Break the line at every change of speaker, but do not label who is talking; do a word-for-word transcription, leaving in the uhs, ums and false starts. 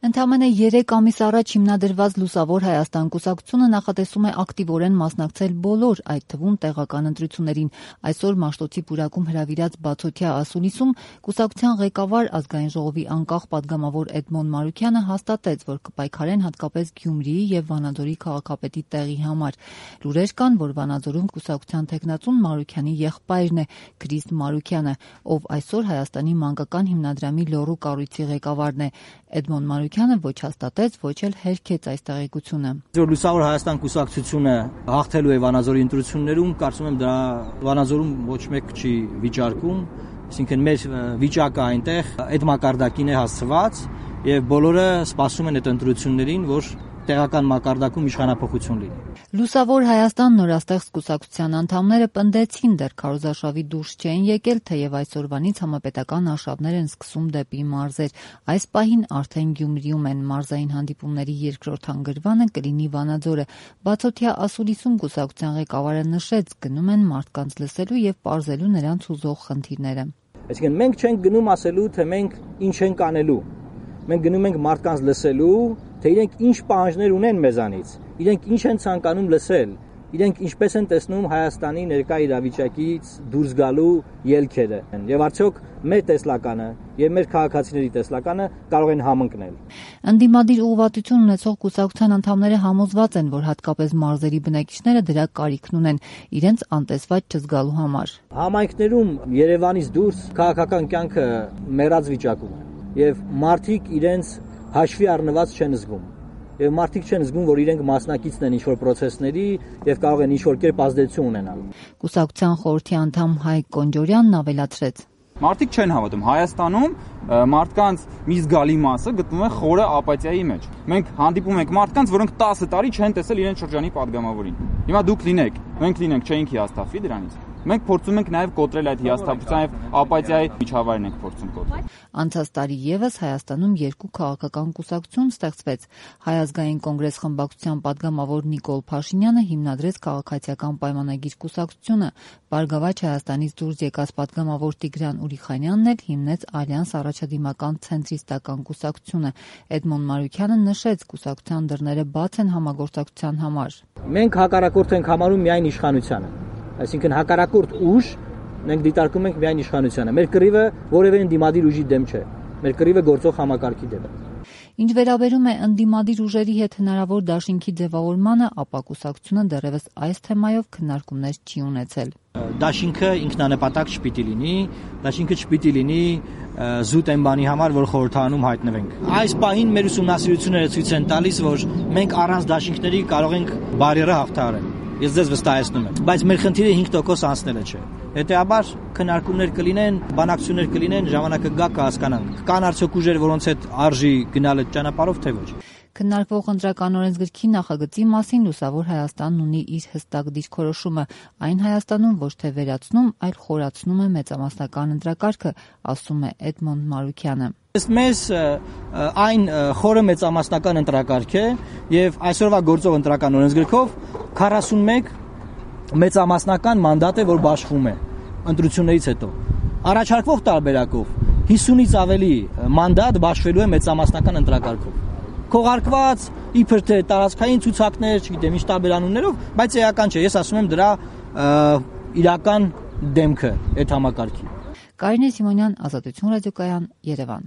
Ընդամենը երեք ամիս առաջ հիմնադրված Լուսավոր Հայաստան կուսակցությունը նախատեսում է ակտիվորեն մասնակցել բոլոր, այդ թվում տեղական ընտրություններին։ Այսօր Մաշտոցի պուրակում հրավիրած բացօթյա ասուլիսում կուսակցության ղեկավար, Ազգային ժողովի անկախ պատգամավոր Էդմոն Մարուքյանը հաստատեց, որ կպայքարեն հատկապես Գյումրիի եւ Վանաձորի քաղաքապետի տեղի համար։ Լուրեր կան, որ Վանաձորում կուսակցության թեկնածուն Մարուքյանի եղբայրն է, Քրիստ Մարուքյանը, ով այսօր Հայաստանի մանկական հիմնադրամի լոռու կառույցի ղեկավարն է։ Էդմոն Մարուքյանը ոչ հաստատեց, ոչ էլ հերքեց այս տեղեկությունը։
Լուսավոր Հայաստան կուսակցությունը հաղթելու է Վանաձորի ընտրություններում, կարծում եմ դա Վանաձորում ոչ մեկ չի վիճարկում, այսինքն մեր վիճակը այնտեղ այդ մակարդակին է հասցված եւ բոլորը սպասում են այդ ընտրություններին, որ տեղական մակարդակում իշխանափոխություն լինի։
Լուսավոր Հայաստան նորաստեղծ կուսակցության անդամները պնդեցին, դեռ քարոզարշավի դուրս չէին եկել, թեև այսօրվանից համապետական արշավներ են սկսում դեպի մարզեր։ Այս պահին արդեն Գյումրիում են, մարզային հանդիպումների երկրորդ հանգրվանը կլինի Վանաձորը։ Բացօթյա ասուլիսում կուսակցության ղեկավարը նշեց, գնում են մարդկանց լսելու եւ պարզելու նրանց հուզող խնդիրները։
Այսինքն մենք չենք գնում ասելու, թե մենք ինչ ենք անելու։ Մենք գնում ենք մարդկանց լսելու, թե իրենք ինչ պահանջներ ունեն մեզանից, իրենք ինչ են ցանկանում լսել, իրենք ինչպես են տեսնում Հայաստանի ներկա իրավիճակից դուրս գալու ելքերը, եւ արդյոք մեր տեսլականը եւ մեր քաղաքացիների տեսլականը կարող են համընկնել։
Ընդդիմադիր ուղղվածություն ունեցող կուսակցության անդամները համոզված են, որ հատկապես մարզերի բնակիչները դրա կարիքն ունեն իրենց անտեսված չզգալու համար։
Համայնքներում Երևանից դուրս քաղաքական կյանքը մեռած վիճակում է եւ մարդիկ իրենց հաշվի առնված չեն զգում։ Եվ մարդիկ չեն զգում, որ իրենք մասնակիցն են ինչ-որ պրոցեսների եւ կարող են ինչ-որ կերպ ազդեցություն ունենալ։
Կուսակցության խորհրդի անդամ Հայկ Կոնջորյանն ավելացրեց.
Մարդիկ չեն հավատում։ Հայաստանում մարդկանց մի զգալի մասը գտնվում է խորը ապաթիայի մեջ։ Մենք հանդիպում ենք մարդկանց, որոնք տասը տարի չեն տեսել իրենց շրջանի падգամավորին։ Հիմա դուք լինեք, մենք լինենք, չէինք հիասթափվի դրանից։ Մենք փորձում ենք նաև կոտրել այդ հիասթափության եւ ապաթիայի միջավայրն ենք փորձում կոտրել։
Անցած տարի եւս Հայաստանում երկու քաղաքական կուսակցություն ստեղծվեց։ Հայ ազգային կոնգրես խմբակցության падգամավոր Նիկոլ Փաշինյանը հիմնադրեց քաղաքացիական պայմանագիր կուսակցությունը։ Բարգավաճ Հայաստանից դուրս եկած падգամավոր Տիգրան Ուրիխանյանն էլ հիմնեց Ալյանս առաջադիմական ցենտրիստական կուսակցությունը։ Էդմոն Մարուքյանը նշեց, կուսակցության դռները բաց են համագործակցության համար։
Մենք հակառակորդ ենք համարում միայն իշխանությանը։ Այսինքն հակառակորդ ուժ մենք դիտարկում ենք միայն իշխանությանը։ Մեր կռիվը որևէ ընդդիմադիր ուժի դեմ չէ։ Մեր կռիվը գործող համակարգի դեմ է։
Ինչ վերաբերում է ընդդիմադիր ուժերի հետ հնարավոր դաշինքի ձևավորմանը, ապա կուսակցությունը դեռևս այս թեմայով քննարկումներ չի ունեցել։
Դաշինքը ինքնանպատակ չպիտի լինի, դաշինքը չպիտի լինի զուտ այն բանի համար, որ խորհրդարանում հայտնվենք։ Այս պահին մեր ուսումնասիրությունները ցույց են տալիս, որ մենք առանց դաշինքների կարող ենք բարիերը հաղթահարել։ Ես ձեզ վստահեցնում եմ, բայց մեր խնդիրը հինգ տոկոս անցնելը չէ։ Հետեւաբար քննարկումներ կլինեն, բանակցություններ կլինեն, ժամանակը գա կհասկանանք։ Կան արդյոք ուժեր, որոնց հետ արժի գնալ այդ ճանապարհով, թե ոչ։
Քննարկվող ընտրական օրենսգրքի նախագծի մասին Լուսավոր Հայաստանն ունի իր հստակ դիրքորոշումը։ Այն Հայաստանում ոչ թե վերացնում, այլ խորացնում է մեծամասնական ընտրակարգը, ասում է Էդմոն Մարուքյանը։
Մեզ այն խորը մեծամասնական ընտրակարգ է եւ այսօրվա գործող ընտրական օրենսգրքով քառասունմեկ մեծամասնական մանդատ է, որ բաշխվում է ընտրություններից հետո։ Առաջարկվող տարբերակով հիսունից ավելի մանդատ բաշխվելու է մեծամասնական ընտրակարգով։ Քողարկված իբր թե տարածքային ցուցակներ, չգիտեմ ինչ տարբերանուններով, բայց էական չէ, ես ասում եմ դրա իրական դեմքը այդ համակարգի։
Կարինե Սիմոնյան, Ազատություն ռադիոկայան, Երևան։